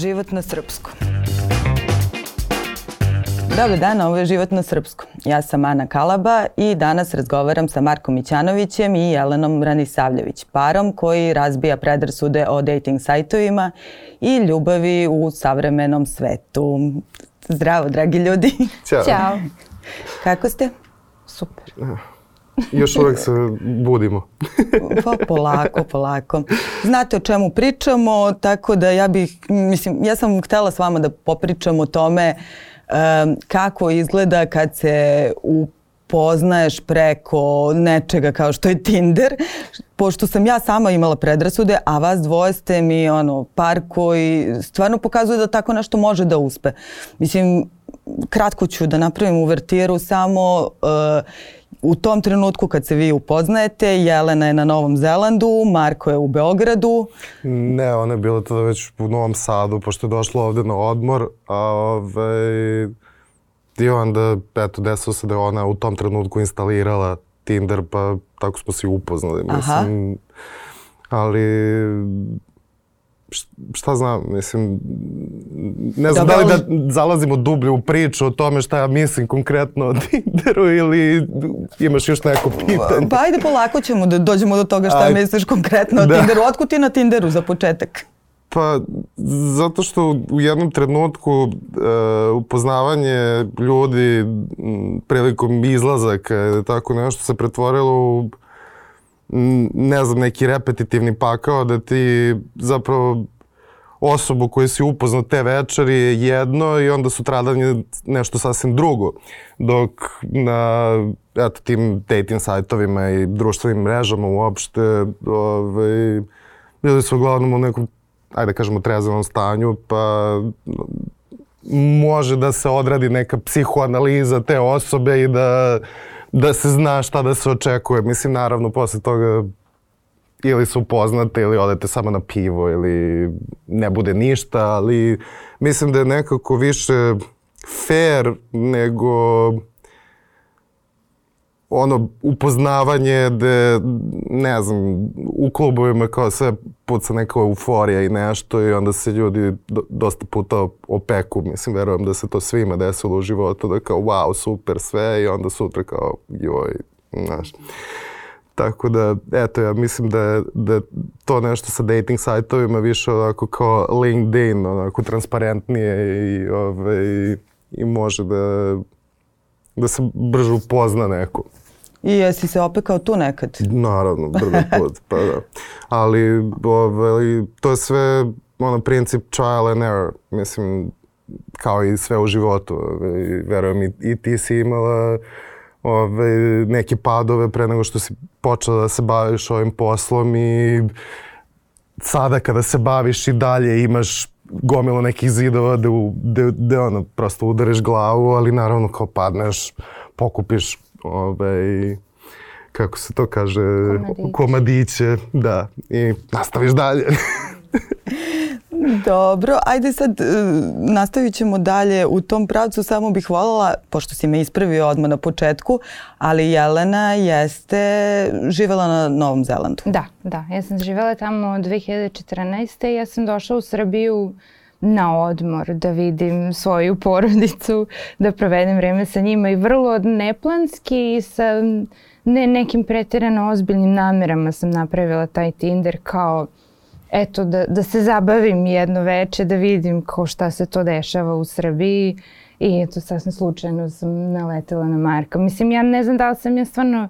Život na srpskom. Dobar dan, ovo je Život na srpskom. Ja sam Ana Kalaba i danas razgovaram sa Markom Mićanovićem i Jelenom Ranisavljević, parom koji razbija predrasude o dating sajtovima i ljubavi u savremenom svetu. Zdravo, dragi ljudi. Ćao. Ćao. Kako ste? Super. Još uvek se budimo. Pa polako. Znate o čemu pričamo, tako da ja sam htjela s vama da popričam o tome kako izgleda kad se upoznaješ preko nečega kao što je Tinder, pošto sam ja sama imala predrasude, a vas dvoje ste mi par koji stvarno pokazuje da tako nešto može da uspe. Mislim, kratko ću da napravim uvertiru samo. U tom trenutku kad se vi upoznajete, Jelena je na Novom Zelandu, Marko je u Beogradu. Ne, ona je bila tada već u Novom Sadu, pošto je došla ovdje na odmor. I onda, desilo se da je ona u tom trenutku instalirala Tinder, pa tako smo se upoznali. Mislim, ali šta znam, mislim, ne znam da li da zalazimo dublje u priču o tome šta ja mislim konkretno o Tinderu ili imaš još neko pitanje. Pa ajde polako ćemo da dođemo do toga šta misliš konkretno o Tinderu. Otkud ti na Tinderu za početak? Pa zato što u jednom trenutku upoznavanje ljudi prilikom izlazaka tako nešto se pretvorilo u ne znam, neki repetitivni pakao da ti zapravo osobu koju si upoznao te večeri je jedno i onda sutradan je nešto sasvim drugo. Dok na tim dating sajtovima i društvenim mrežama uopšte bili su uglavnom u nekom, ajde kažemo, trezvenom stanju, pa može da se odradi neka psihoanaliza te osobe i da se zna šta da se očekuje. Mislim, naravno, posle toga ili se upoznate ili odete samo na pivo ili ne bude ništa, ali mislim da je nekako više fair nego upoznavanje gde, ne znam, u klubovima kao sve puca neka euforija i nešto i onda se ljudi dosta puta opeku. Mislim, verujem da se to svima desilo u životu, da kao wow, super sve i onda sutra kao joj, znaš. Tako da, eto, ja mislim da je to nešto sa dating sajtovima više onako kao LinkedIn, onako transparentnije i može da se brže upozna neko. I jesi se opekao tu nekad? Naravno, prvi put, pa da. Ali to je sve princip trial and error, mislim, kao i sve u životu. Verujem i ti si imala neke padove pre nego što si počela da se baviš ovim poslom i sada kada se baviš i dalje imaš gomilu nekih zidova gde prosto udariš glavu, ali naravno kao padneš, pokupiš kako se to kaže, komadiće, da, i nastaviš dalje. Dobro, ajde sad nastavit ćemo dalje u tom pravcu, samo bih voljela, pošto si me ispravio odmah na početku, ali Jelena jeste živjela na Novom Zelandu. Da, ja sam živjela tamo od 2014. Ja sam došla u Srbiju na odmor, da vidim svoju porodicu, da provedem vreme sa njima i vrlo neplanski i sa ne nekim pretjerano ozbiljnim namerama sam napravila taj Tinder kao eto da se zabavim jedno veče, da vidim kao šta se to dešava u Srbiji i eto sasvim slučajno sam naletela na Marka. Mislim, ja ne znam da li sam ja stvarno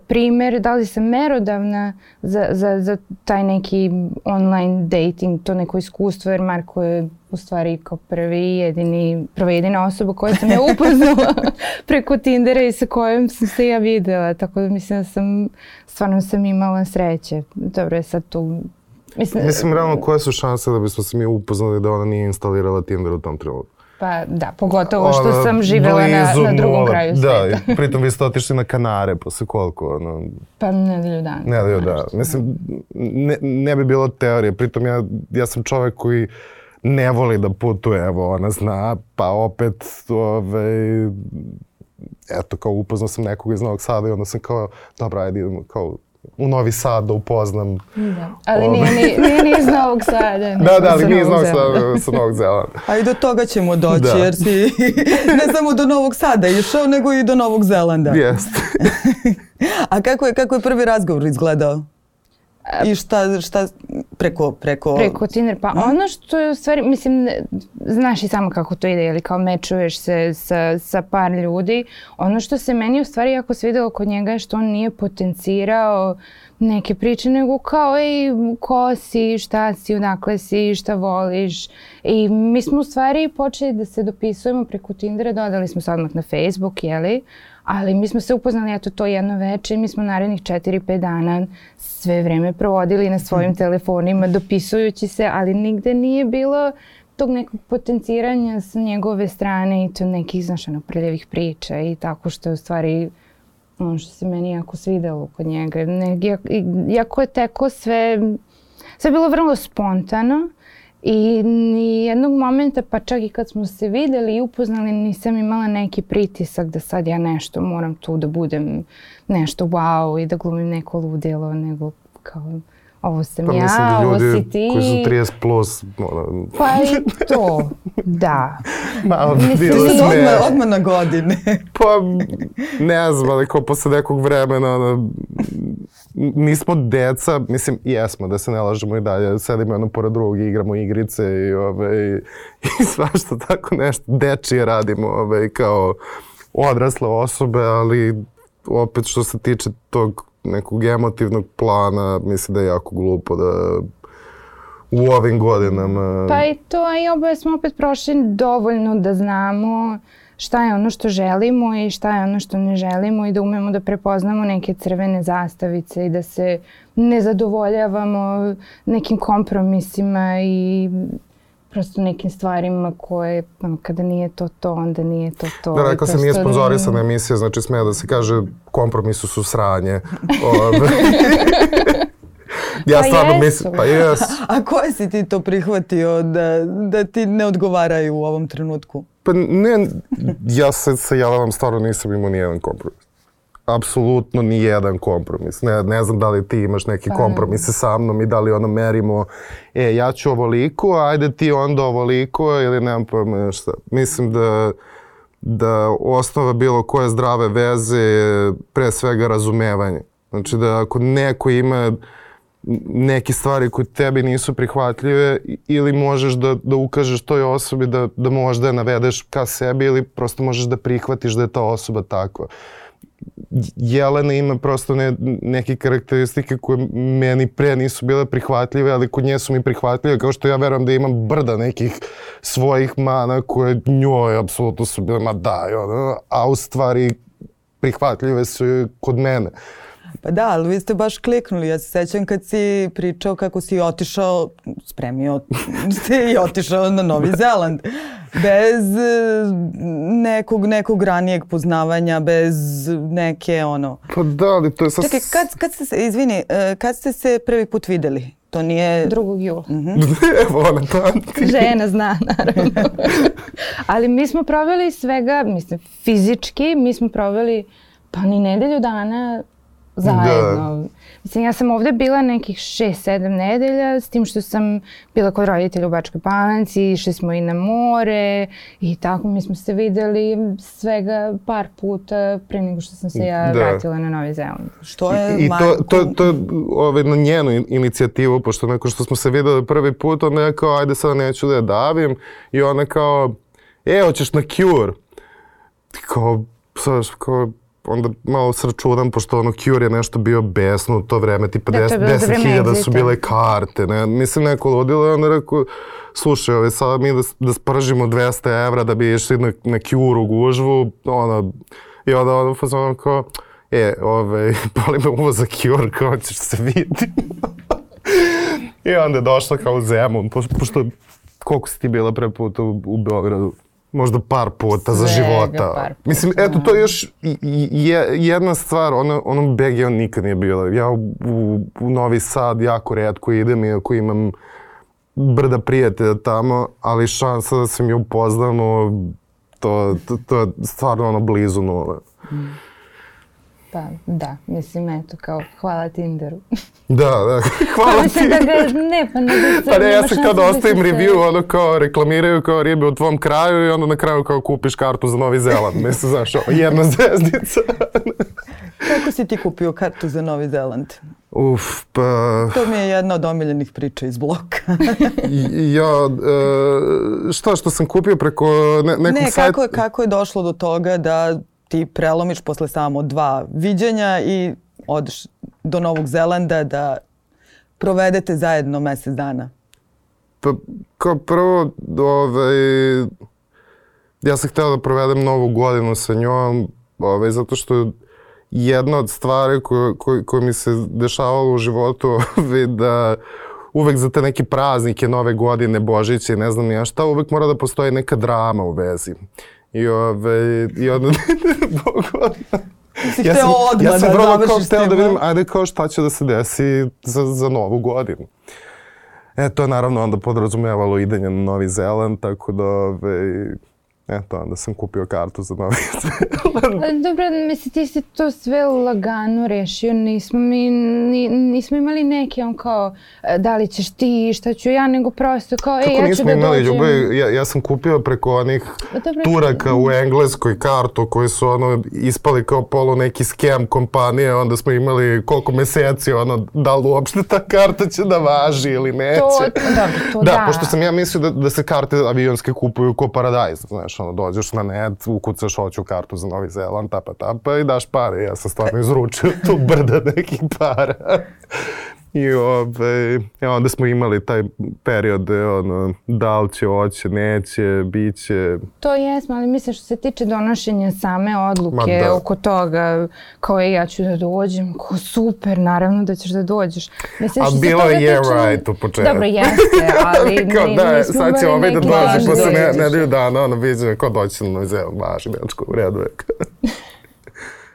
primjer, da li sam merodavna za taj neki online dating, to neko iskustvo, jer Marko je u stvari kao prva jedina osoba koja sam ja upoznala preko Tindera i sa kojom sam se ja videla, tako da mislim da stvarno sam imala sreće. Dobro je sad tu. Mislim, realno, koje su šanse da bismo se mi upoznali da ona nije instalirala Tinder u tom trenutku? Pa da, pogotovo što sam živjela na drugom kraju sveta. Da, pritom vi ste otišli na Kanare posle koliko? Pa nedelju dana. Nedelju dana. Mislim, ne bi bilo teorije. Pritom ja sam čovjek koji ne voli da putuje, evo, ona zna, pa opet, eto, kao upoznao sam nekog iz Novog Sada i onda sam kao, dobro, ajde idemo, kao, u Novi Sad da upoznam. Da. Ali nije ni iz Novog Sada. Da, ali nije iz Novog Sada, sa Novog Zelanda. A i do toga ćemo doći, jer si ne samo do Novog Sada išao, nego i do Novog Zelanda. Jeste. A kako je prvi razgovor izgledao? I šta preko Tinder? Pa ono što je u stvari, mislim, znaš i samo kako to ide, ili kao mečuješ se sa par ljudi. Ono što se meni u stvari jako svidelo kod njega je što on nije potencirao neke priče, nego kao, ej, ko si, šta si, odakle si, šta voliš. I mi smo u stvari počeli da se dopisujemo preko Tindera, dodali smo se odmah na Facebook, jeli? Ali mi smo se upoznali eto to jedno veče i mi smo narednih 4-5 dana sve vreme provodili na svojim telefonima dopisujući se, ali nigde nije bilo tog nekog potenciranja sa njegove strane i to nekih, znaš, prljavih priča i tako što je u stvari ono što se meni jako svidelo kod njega. Jako je teko sve bilo vrlo spontano. I nijednog momenta, pa čak i kad smo se videli i upoznali, nisam imala neki pritisak da sad ja nešto moram tu da budem nešto wow i da glumim neko ludilo, nego kao ovo sam ja, ovo si ti. Koji su 30 plus, Pa i to, da. Malo bi bilo smiješno. Odmah na godine. Pa, ne znam, ali kao posle nekog vremena, nismo deca, mislim, jesmo, da se ne lažemo i dalje, sedimo jedno pored drugog i igramo igrice i svašta tako nešto, dečije radimo kao odrasle osobe, ali opet što se tiče tog nekog emotivnog plana, mislim da je jako glupo da u ovim godinama... Pa i to, i oboje smo opet prošli dovoljno da znamo šta je ono što želimo i šta je ono što ne želimo i da umemo da prepoznamo neke crvene zastavice i da se ne zadovoljavamo nekim kompromisima i prosto nekim stvarima koje, kada nije to, onda nije to. Da, rekao se nije sponzorisana emisija, znači smije da se kaže kompromisu su sranje. Ja stvarno mislim, pa jesu. A koje si ti to prihvatio da ti ne odgovaraju u ovom trenutku? Pa ne, ja se javavam, stvarno nisam imao nijedan kompromis. Apsolutno nijedan kompromis. Ne znam da li ti imaš neki kompromise sa mnom i da li ono merimo, ja ću ovoliko, ajde ti onda ovoliko ili nemam pojma šta. Mislim da osnova bilo koje zdrave veze je pre svega razumevanje. Znači da ako neko ima neke stvari koje tebi nisu prihvatljive ili možeš da ukažeš toj osobi da možda je navedeš ka sebi ili prosto možeš da prihvatiš da je ta osoba takva. Jelena ima prosto neke karakteristike koje meni pre nisu bile prihvatljive, ali kod nje su mi prihvatljive, kao što ja verujem da imam brda nekih svojih mana koje njoj apsolutno su bile, ma daj, a u stvari prihvatljive su kod mene. Pa da, ali vi ste baš kliknuli. Ja se sećam kad si pričao kako si otišao, spremio se i otišao na Novi Zeland. Bez nekog ranijeg poznavanja, bez neke ono... Pa da, ali to je sad... Čekaj, kad ste se prvi put videli? To nije... 2. jula. Evo ona pamti. Žena zna, naravno. Ali mi smo proveli svega, mislim, fizički, mi smo proveli pa ni nedelju dana zajedno. Da. Mislim, ja sam ovdje bila nekih 6-7 nedelja, s tim što sam bila kod roditelja u Bačkoj Palanci, išli smo i na more i tako mi smo se vidjeli svega par puta pre nego što sam se ja vratila na Novi Zeland. Što je I to je na njenu inicijativu, pošto nakon što smo se videli prvi put, ona je kao, ajde sad neću da je davim i ona kao, hoćeš na Cure? Kao, onda malo sračunam, pošto ono Cure je nešto bio besno u to vreme, tipa 10.000 su bile karte, ne? Mislim, neko ludilo i onda rekao, slušaj, sada mi da spržimo 200 evra da bi išli na Cure u gužvu, i onda ono kao, boli me uvo za Cure, kao ćeš se vidjeti. I onda je došla kao u Zemun, pošto koliko si ti bila pre puta u Beogradu? Možda par puta za života. Mislim, eto, to je još jedna stvar, ono BG on nikad nije bila. Ja u Novi Sad jako retko idem, iako imam brda prijatelja tamo, ali šansa da se mi upoznamo, to je stvarno blizu nule. Pa da, mislim, eto, kao hvala Tinderu. Da, hvala ti. Da ga, ne, pa ne da se... Pa ne, ja se kao da ostavim review, ono kao reklamiraju kao ribe u tvom kraju i onda na kraju kao kupiš kartu za Novi Zeland. Mislim, znaš, jedna zvezdica. Kako si ti kupio kartu za Novi Zeland? Pa... To mi je jedna od omiljenih priča iz bloka. Što sam kupio preko nekog sajta? Ne, kako je došlo do toga da ti prelomiš posle samo 2 viđenja i odeš do Novog Zelanda da provedete zajedno mjesec dana? Pa kao prvo, ja sam htio da provedem Novu godinu sa njom, zato što jedna od stvari koje mi se dešavalo u životu da uvek za te neke praznike, Nove godine, Božiće, ne znam ja šta, uvek mora da postoji neka drama u vezi. I onda... Ja sam vrlo kao hteo da vidim, ajde kao šta će da se desi za Novu godinu. To je naravno onda podrazumevalo idenje na Novi Zeland, tako da onda sam kupio kartu za Novi Zeland. Dobro, mislim, ti si to sve lagano rešio, nismo imali neki kao da li ćeš ti, šta ću ja, nego prosto kao ja ću da dođem. Kako nismo imali ljubav, ja sam kupio preko onih Turaka u Engleskoj kartu koji su ispali kao polu neki skem kompanije, onda smo imali koliko meseci, da li uopšte ta karta će da važi ili neće. Da, pošto sam ja mislio da se karte avionske kupuju ko paradajz, znaš, dođeš na net, ukucaš hoću kartu za Novi Zeland, tapa i daš pare. Ja sam stvarno izručio tu brda nekih para. I onda smo imali taj period da li će, hoće, neće, bit će. To jesmo, ali mislim što se tiče donošenja same odluke oko toga, kao ja ću da dođem, kao super, naravno da ćeš da dođeš. A bilo je right u početku. Dobro, jeste, ali nismo sad će imali neki da dođe posle nedelju dana, viđe ko doći na Novi Zeland, važi Bečko, u redu je.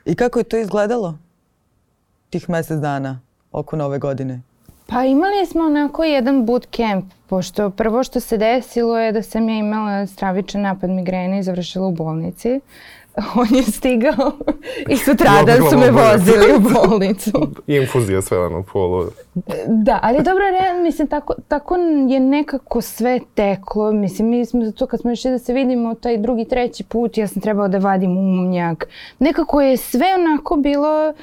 I kako je to izgledalo tih mjesec dana oko Nove godine? Pa imali smo onako jedan bootcamp, pošto prvo što se desilo je da sam ja imala stravičan napad migrene i završila u bolnici. On je stigao i sutradan su me vozili u bolnicu. Infuzija sve polu. Da, ali dobro, mislim, tako je nekako sve teklo. Mislim, mi smo zato kad smo išli da se vidimo taj drugi, treći put, ja sam trebala da vadim umnjak. Nekako je sve onako bilo...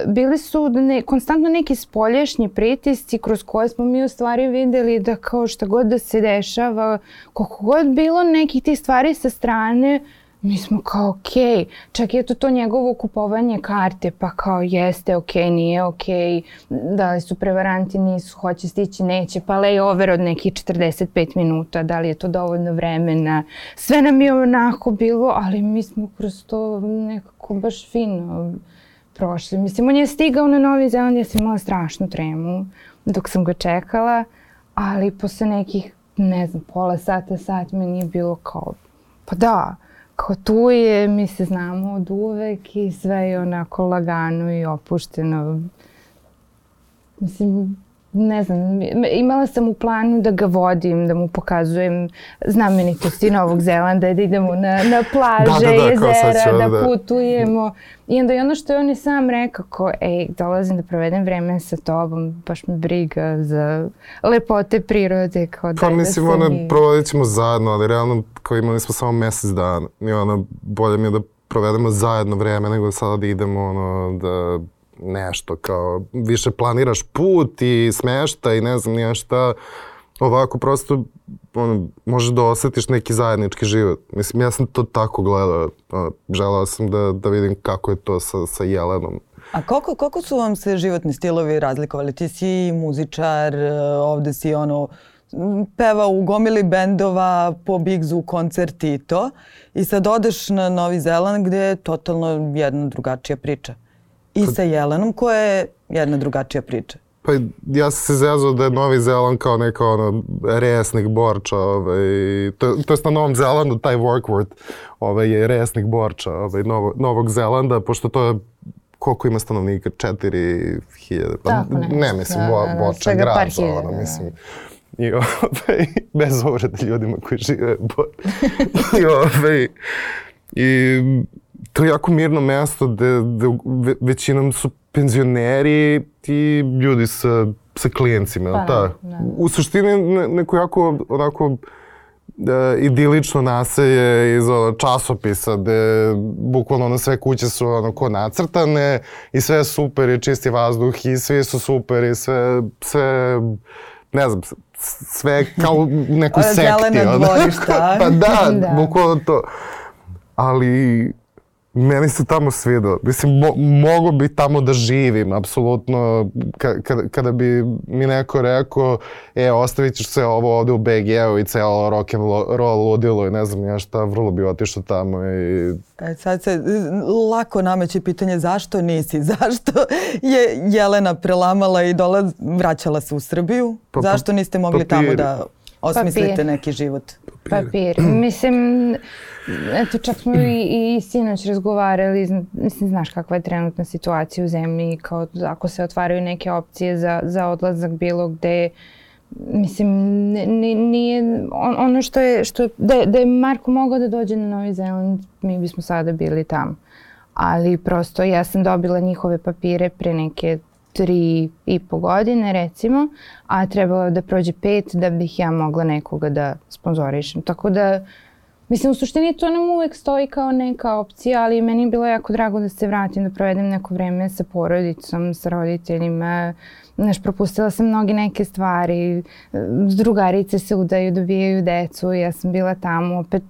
Bili su konstantno neki spoljašnji pritisci kroz koje smo mi u stvari vidjeli da kao šta god da se dešava, koliko god bilo nekih tih stvari sa strane, mi smo kao okej. Čak je to njegovo kupovanje karte, pa kao jeste okej, nije okej, da li su prevaranti, nisu, hoće stići, neće, pa layover od nekih 45 minuta, da li je to dovoljno vremena. Sve nam je onako bilo, ali mi smo kroz to nekako baš fino prošli. Mislim, on je stigao na Novi Zeland, ja sam imala strašnu tremu dok sam ga čekala, ali posle nekih, ne znam, pola sata, sat meni je bilo kao, pa da, kao tu je, mi se znamo od uvek i sve je onako lagano i opušteno. Mislim, ne znam, imala sam u planu da ga vodim, da mu pokazujem znamenitosti Novog Zelanda, da idemo na plaže, jezera, da putujemo. I onda i ono što je on i sam rekao, kao, dolazim da provedem vreme sa tobom, baš me briga za lepote prirode. Pa mislim, provodit ćemo zajedno, ali realno kao imali smo samo mjesec dana. I bolje mi je da provedemo zajedno vreme nego sada da idemo da... nešto kao više planiraš put i smešta i ne znam nija šta. Ovako prosto možeš da osjetiš neki zajednički život. Mislim, ja sam to tako gledao. Želao sam da vidim kako je to sa Jelenom. A koliko su vam se životni stilovi razlikovali? Ti si muzičar, ovde si peva u gomili bendova, po Bigzu, koncerti i to. I sad odeš na Novi Zeland gdje je totalno jedna drugačija priča. I sa Jelenom koja je jedna drugačija priča. Pa ja sam se zezao da je Novi Zeland kao neka resnik borča. To jest na Novom Zelandu taj Warkworth je resnik borča Novog Zelanda, pošto to je koliko ima stanovnika? 4000? Ne, mislim, borča je grad. Mislim. I bez uvrede ljudima koji žive. I to je jako mirno mesto gde većinom su penzioneri i ljudi sa klijencima. Da. U suštini neko jako onako idilično naselje iz časopisa gde bukvalno sve kuće su ko nacrtane i sve je super i čisti vazduh i svi su super i sve ne znam, sve kao u nekoj sekti. Zelena dvorišta. Pa da, bukvalno to. Ali meni se tamo svidelo. Mislim, mogo bi tamo da živim, apsolutno. Kada bi mi neko rekao, ostavit ćeš sve ovo ovde u BG-u i celo rock'n'roll ludilo i ne znam ja šta, vrlo bi otišao tamo i... Sad se lako nameće pitanje zašto nisi, zašto je Jelena prelamala i vraćala se u Srbiju? Zašto niste mogli tamo da osmislite neki život? Papir. Mislim, eto čak smo i sinoć razgovarali, mislim, znaš kakva je trenutna situacija u zemlji, kao ako se otvaraju neke opcije za odlazak bilo gde, mislim, nije, ono što je, da je Marko mogao da dođe na Novi Zeland, mi bismo sada bili tamo. Ali prosto ja sam dobila njihove papire pre neke 3,5 godine recimo, a trebalo je da prođe 5 da bih ja mogla nekoga da sponzorišem. Tako da, mislim, u suštini to nam uvek stoji kao neka opcija, ali meni je bilo jako drago da se vratim, da provedem neko vreme sa porodicom, sa roditeljima. Znaš, propustila sam mnoge neke stvari, drugarice se udaju, dobijaju decu, ja sam bila tamo opet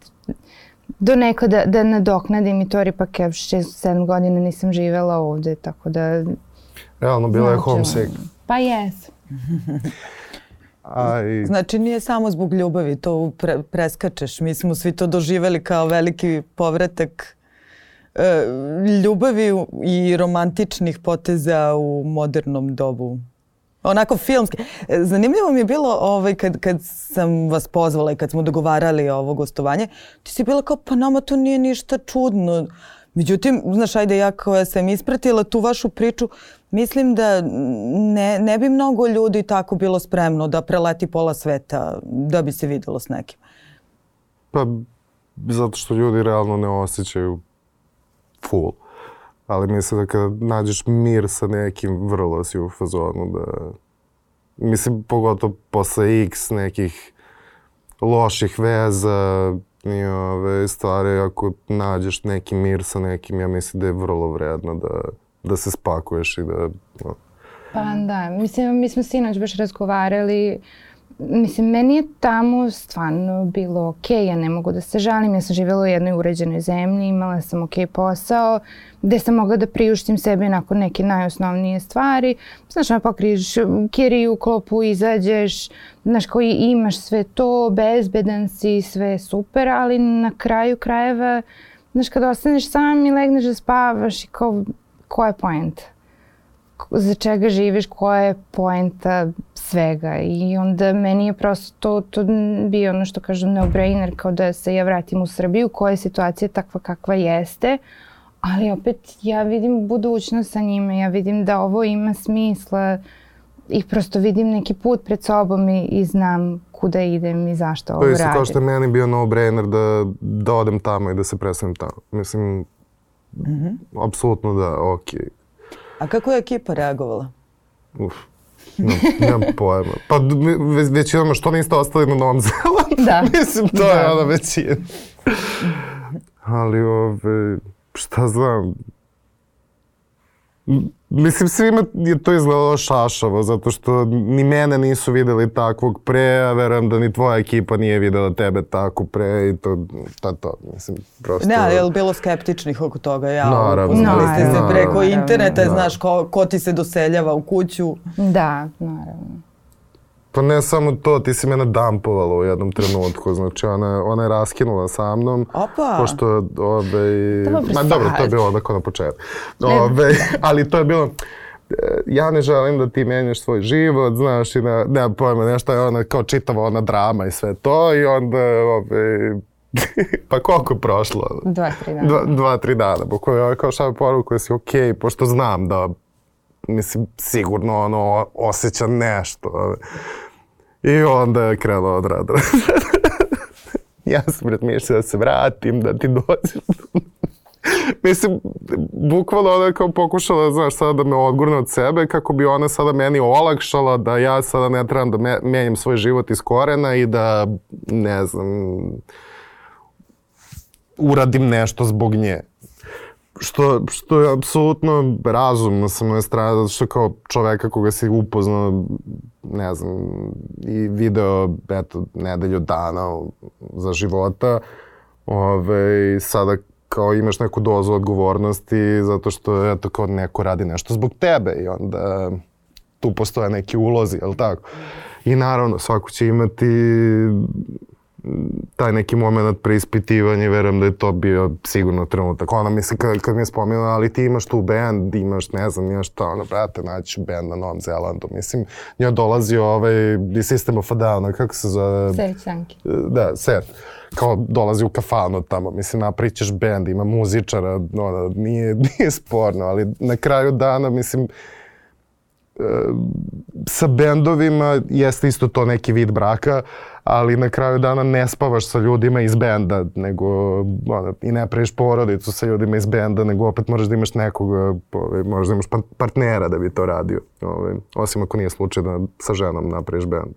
do neko da nadoknadim i to ipak ja 6-7 godina nisam živela ovde, tako da... Realno, bila je homesick. Pa jes. Znači nije samo zbog ljubavi, to preskačeš. Mi smo svi to doživeli kao veliki povratak ljubavi i romantičnih poteza u modernom dobu. Onako filmski. Zanimljivo mi je bilo kad sam vas pozvala i kad smo dogovarali ovo gostovanje, ti si bila kao pa nama to nije ništa čudno. Međutim, znaš, ajde ja koja sam ispratila tu vašu priču, mislim da ne bi mnogo ljudi tako bilo spremno da preleti pola sveta da bi se videlo s nekim. Pa, zato što ljudi realno ne osjećaju full. Ali mislim da kada nađeš mir sa nekim, vrlo si u fazonu da... Mislim, pogotovo posle X nekih loših veza i ove stvari, ako nađeš neki mir sa nekim, ja mislim da je vrlo vredno da se spakuješ i da... Pa da, mislim, mi smo sinoć baš razgovarali. Mislim, meni je tamo stvarno bilo okej, ja ne mogu da se žalim. Ja sam živjela u jednoj uređenoj zemlji, imala sam okej posao, gde sam mogla da priuštim sebi nakon neke najosnovnije stvari. Znaš, pokriješ kiriju, klopu, izađeš, znaš, koji imaš sve to, bezbedan si, sve super, ali na kraju krajeva, znaš, kad ostaneš sam i legneš da spavaš i kao, koja je poenta? Za čega živiš, koja je poenta svega i onda meni je prosto to bio ono što kažem no-brainer kao da se ja vratim u Srbiju koja je situacija takva kakva jeste, ali opet ja vidim budućnost sa njime, ja vidim da ovo ima smisla i prosto vidim neki put pred sobom i znam kuda idem i zašto ovo radim. To je kao što je meni bio no-brainer da odem tamo i da se predstavim tamo. Mislim, apsolutno da, okej. A kako je ekipa reagovala? Nemam pojma. Pa većinama što niste ostali na Novom Zelandu? Da. Mislim, to je ona većina. Ali šta znam... Mislim, svima je to izgledalo šašavo, zato što ni mene nisu videli takvog pre, a verujem da ni tvoja ekipa nije videla tebe tako pre i to. Mislim, prosto... Ne, ali je li bilo skeptičnih oko toga? Naravno. Uznali ste se preko interneta, znaš ko ti se doseljava u kuću. Da, naravno. Pa ne samo to, ti si mene dampovala u jednom trenutku, znači ona je raskinula sa mnom. Opa! Pošto, dobro, to je bilo onako na početku. Ali to je bilo, ja ne želim da ti menjaš svoj život, znaš, i nema pojma, nešto je ona kao čitava ona drama i sve to i onda, pa koliko je prošlo? 2-3 dana. 2-3 dana, bukvalno kao šalje poruku da si okej, pošto znam da, mislim, sigurno ono osjeća nešto. I onda je krenuo od rada. Ja sam razmišljao da se vratim, da ti dođem. Mislim, bukvalno ona kao pokušala, znaš, sada da me odgurne od sebe kako bi ona sada meni olakšala da ja sada ne trebam da menjam svoj život iz korena i da, ne znam, uradim nešto zbog nje. Što je apsolutno razumno sa moje strane, zato što kao čoveka koga si upoznao, ne znam, i video, eto, nedelju dana za života, sada kao imaš neku dozu odgovornosti zato što, eto, kao neko radi nešto zbog tebe i onda tu postoje neki ulozi, jel tako? I naravno, svako će imati taj neki moment preispitivanja i verujem da je to bio sigurno trenutak. Ona misli kad mi je spomenula, ali ti imaš tu band, imaš, ne znam, imaš to, ono, brate, naći ću band na Novom Zelandu. Mislim, njoj dolazio System of a Down, kako se zove? Serge Tankian. Da, Serge. Kao dolazi u kafanu tamo, mislim, napričaš band, ima muzičara, ono, nije sporno, ali na kraju dana, mislim, sa bendovima jeste isto to neki vid braka, ali na kraju dana ne spavaš sa ljudima iz benda, nego i ne praviš porodicu sa ljudima iz benda, nego opet moraš da imaš nekoga, moraš da imaš partnera da bi to radio. Osim ako nije slučaj da sa ženom napraviš bend.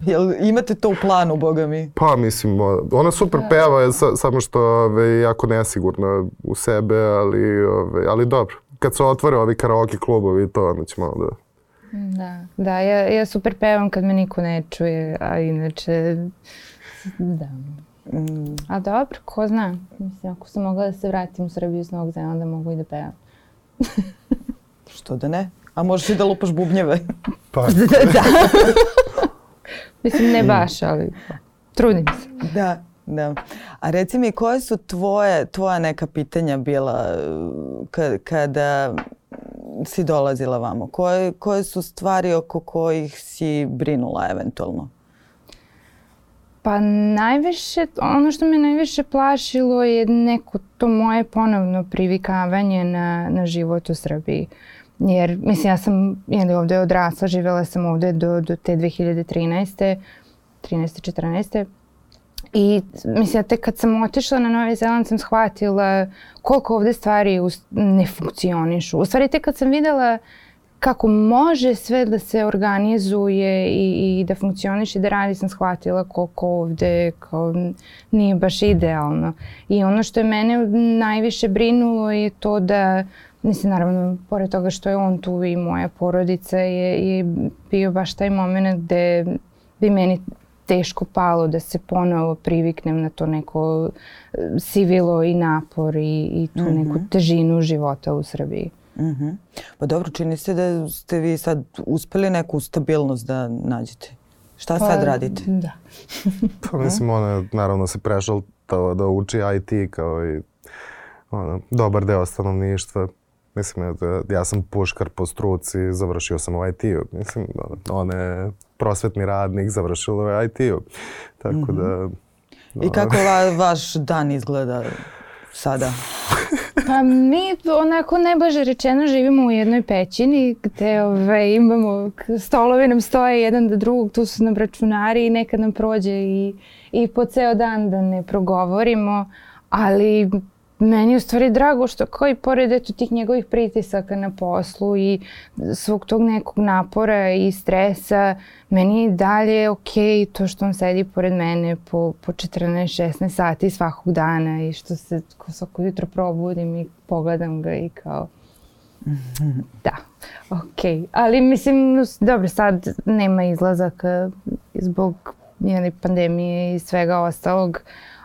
Jel imate to u planu, boga mi? Pa mislim, ona super peva, samo što je jako nesigurna u sebe, ali dobro. Kad se otvore ovi karaoke klubovi, to onda ćemo da... Da, ja super pevam kad me niko ne čuje, a inače, da. A dobro, ko zna. Mislim, ako sam mogla da se vratim u Srbiju s Novog Zelanda, mogu i da pevam. Što da ne? A možeš i da lupaš bubnjeve. Pa. Da. Mislim, ne baš, ali trudim se. Da. A reci mi, koje su tvoja neka pitanja bila kada si dolazila vamo? Koje su stvari oko kojih si brinula eventualno? Pa najviše, ono što me najviše plašilo je neko to moje ponovno privikavanje na život u Srbiji. Jer, mislim, ja sam ovdje odrasla, živjela sam ovdje do te 2013. 13-14. I mislim, tek kad sam otišla na Novi Zeland sam shvatila koliko ovdje stvari ne funkcionišu. U stvari, tek kad sam vidjela kako može sve da se organizuje i da funkcioniše i da radi, sam shvatila koliko ovdje nije baš idealno. I ono što je mene najviše brinulo je to da, mislim, naravno, pored toga što je on tu i moja porodica, je bio baš taj moment gde bi meni teško palo da se ponovo priviknem na to neko sivilo i napor i tu neku težinu života u Srbiji. Pa dobro, čini se da ste vi sad uspeli neku stabilnost da nađete. Šta sad radite? Da. Pa mislim, ona naravno se prešla da uči IT kao i dobar deo stanovništva. Mislim, ja sam puškar po struci, završio sam u IT-u. Mislim, on je prosvetni radnik, završilo je IT-u. Tako da... I kako vaš dan izgleda sada? Pa mi onako najblaže rečeno živimo u jednoj pećini gde imamo, stolovi nam stoje jedan do drugog, tu su nam računari i nekad nam prođe i po ceo dan da ne progovorimo, ali meni je u stvari drago što kao i pored tih njegovih pritisaka na poslu i svog tog nekog napora i stresa, meni je dalje okej to što on sedi pored mene po 14-16 sati svakog dana i što se svako jutro probudim i pogledam ga i kao da, okej. Ali mislim, dobro, sad nema izlazaka zbog pandemije i svega ostalog,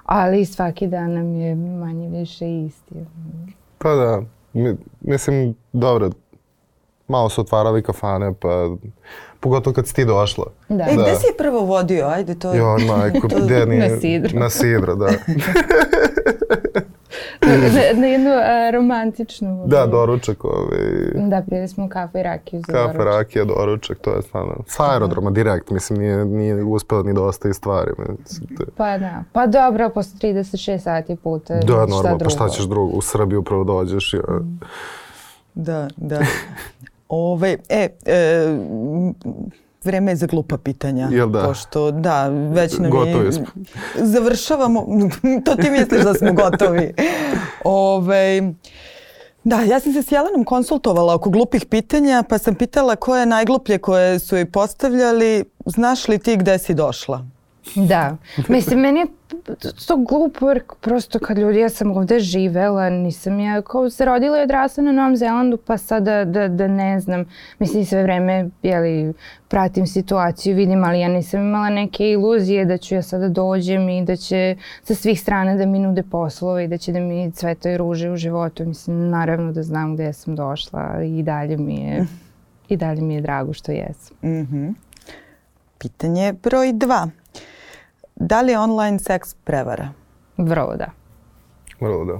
ali svaki dan nam je manje više isti. Pa da, mislim, dobro, malo su otvarali kafane, pa pogotovo kad si ti došla. Da. Gde si je prvo vodio? Ajde to... Jo, majko, gde nije? Na Sidru. Na Sidru, da. Na jednu romantičnu. Da, doručak. Da, pili smo kafu i rakiju za doručak. Kafa, rakija, doručak, to je stvarno. Sa aerodroma direkt, mislim, nije uspela ni dosta i stvari. Pa da, pa dobro, posle 36 sati puta, da, šta drugo. Da, normalno, pa šta ćeš drugo, u Srbiju upravo dođeš. Ja. Da. vreme je za glupa pitanja. Jel da? Pošto, da, već nam Gotovi smo. Završavamo, to ti misliš da smo gotovi. Da, ja sam se s Jelenom konsultovala oko glupih pitanja, pa sam pitala koje je najgluplje koje su joj postavljali. Znaš li ti gde si došla? Da, mislim, meni je to glupo jer prosto kad ljudi, ja sam ovde živela, nisam ja kao se rodila i odrasla na Novom Zelandu, pa sada da ne znam, mislim sve vreme, pratim situaciju, vidim, ali ja nisam imala neke iluzije da ću ja sada dođem i da će sa svih strana da mi nude poslove i da će da mi cvetaju ruže u životu. Mislim, naravno da znam gde sam došla i dalje mi je drago što jesam. Pitanje broj 2. Da li je online seks prevara? Vrlo da. Vrlo da.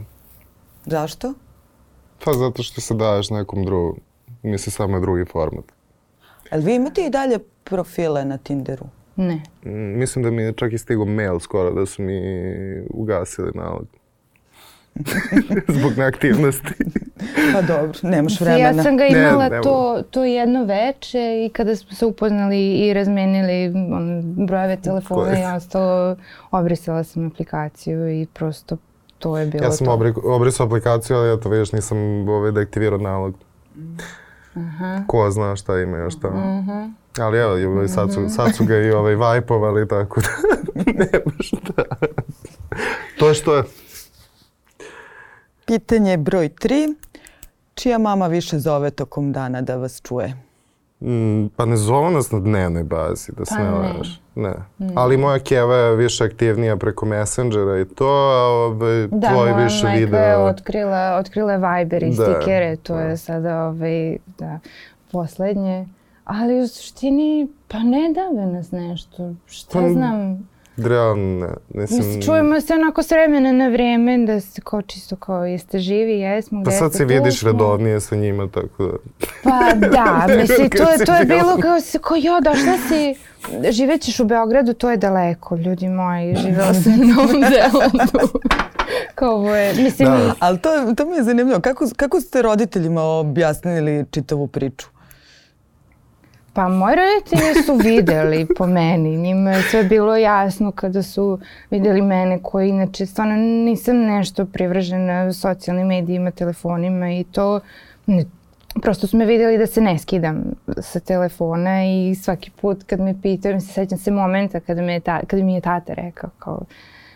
Zašto? Pa zato što se daješ nekom drugom. Misli samo je drugi format. Ali vi imate i dalje profile na Tinderu? Ne. Mislim da mi je čak i stigao mail skoro da su mi ugasili nalog. Zbog neaktivnosti. Pa dobro, nemaš vremena. Ja sam ga imala to jedno veče i kada smo se upoznali i razmenili brojeve telefona i ostalo, obrisala sam aplikaciju i prosto to je bilo to. Ja sam obrisao aplikaciju, ali eto vidiš nisam deaktivirao nalog. Ko zna šta ima još tamo. Ali evo, sad su ga i vajpovali, tako da nema šta. To je što je. Pitanje broj 3. Čija mama više zove tokom dana da vas čuje? Pa ne zovu nas na dnevnoj bazi, da se ne lažeš. Ne. Ali moja keva je više aktivnija preko Messengera i to, a tvoj više video. Da, moja majka je otkrila Viber i stikere, to je sada poslednje. Ali u suštini, pa ne dave nas nešto, šta znam. Realno ne. Čujemo se onako s vremena na vreme da se kao čisto kao jeste živi, jesmo, gde ste tu. Pa sad se vidiš redovnije sa njima, tako da. Pa da, mislim, to je bilo kao došla si, živećeš u Beogradu, to je daleko, ljudi moji, živela sam na Novom Zelandu. Kao ovo je, mislim. Ali to mi je zanimljivo, kako ste roditeljima objasnili čitavu priču? Pa moji roditelji su videli po meni, njima je sve bilo jasno kada su vidjeli mene koji inače stvarno nisam nešto privržena socijalnim medijima, telefonima i to. Prosto su me vidjeli da se ne skidam sa telefona i svaki put kad me pitaju, sećam se momenta kada mi je tata rekao kao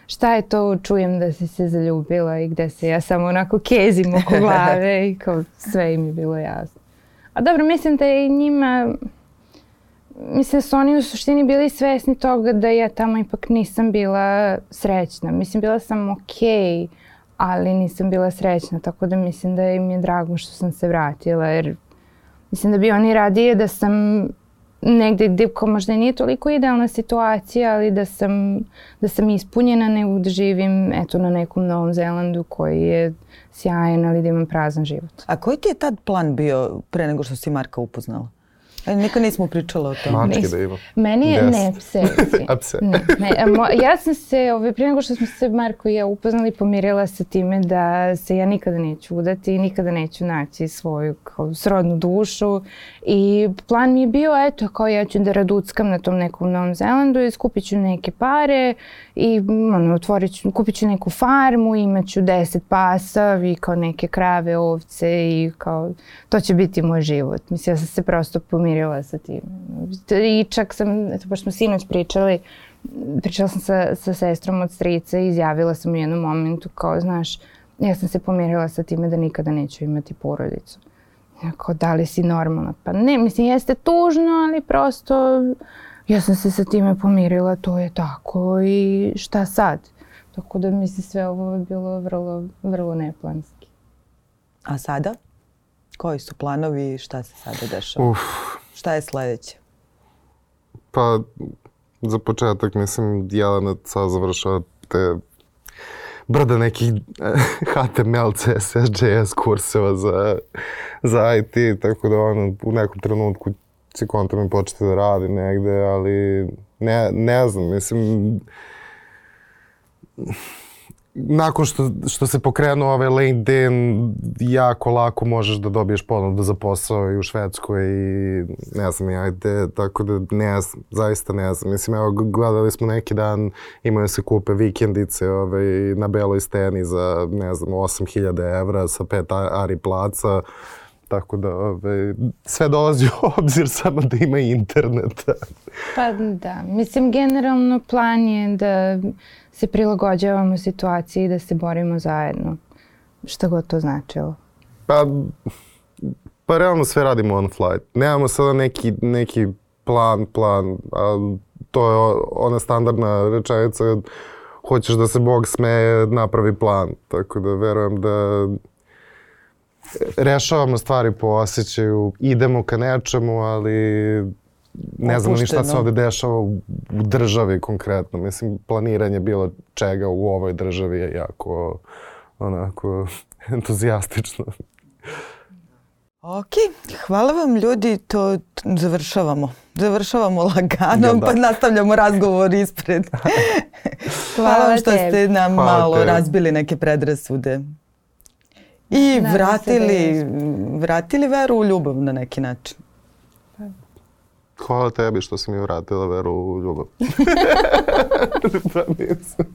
šta je to, čujem da si se zaljubila i gde se ja samo onako kezim oko glave i kao sve im je bilo jasno. A dobro, mislim da je i njima. Mislim da su oni u suštini bili svesni toga da ja tamo ipak nisam bila srećna. Mislim, bila sam okej, ali nisam bila srećna, tako da mislim da im je drago što sam se vratila, jer mislim da bi oni radije da sam negdje gdje možda nije toliko idealna situacija, ali da sam ispunjena nego da živim na nekom Novom Zelandu koji je sjajan, ali da imam prazan život. A koji ti je tad plan bio pre nego što si Marka upoznala? Nikad nismo pričala o tome. Mačke da ima. Meni je, ne, pse. Ja sam se, prije nego što smo se Marko i ja upoznali, pomirila sa time da se ja nikada neću udati i nikada neću naći svoju srodnu dušu. I plan mi je bio, kao ja ću da raduckam na tom nekom Novom Zelandu i skupit ću neke pare i kupit ću neku farmu, imat ću 10 pasa i kao neke krave, ovce i kao to će biti moj život. Mislim, ja sam se prosto pomirila sa tim. I čak sam, pošto smo sinoć pričala sam sa sestrom od strica i izjavila sam u jednom momentu kao, znaš, ja sam se pomirila sa time da nikada neću imati porodicu. Kao, da li si normalna? Pa ne, mislim, jeste tužno, ali prosto ja sam se sa time pomirila, to je tako i šta sad? Tako da mislim sve ovo je bilo vrlo, vrlo neplanski. A sada? Koji su planovi i šta se sada dešava? Šta je sledeće? Pa, za početak, mislim, Jelena sad završava te brda nekih HTML, CSS, JS kurseva za IT, tako da u nekom trenutku će konta mi početi da radi negde, ali ne znam, mislim, nakon što se pokrenuo ovaj LinkedIn, jako lako možeš da dobiješ ponudu za posao i u Švedskoj i ne znam ja gde, tako da ne znam, zaista ne znam. Mislim, evo, gledali smo neki dan, imaju se kupe vikendice na Beloj steni za, ne znam, 8.000 evra sa 5 ari placa. Tako da sve dolazi u obzir samo da ima interneta. Pa da, mislim generalno plan je da se prilagođavamo situaciji i da se borimo zajedno. Šta god to značilo. Pa realno sve radimo on flight. Nemamo sada neki plan, a to je ona standardna rečenica, hoćeš da se Bog smeje, napravi plan. Tako da verujem da rešavamo stvari po osjećaju, idemo ka nečemu, ali ne znamo ni šta se ovde dešava u državi konkretno. Mislim, planiranje bilo čega u ovoj državi je jako onako entuzijastično. Ok, hvala vam ljudi, to završavamo. Završavamo lagano, pa nastavljamo razgovor ispred. Hvala vam što ste nam malo razbili neke predrasude. I vratili veru u ljubav na neki način. Hvala tebi što si mi vratila veru u ljubav. Pa nisam.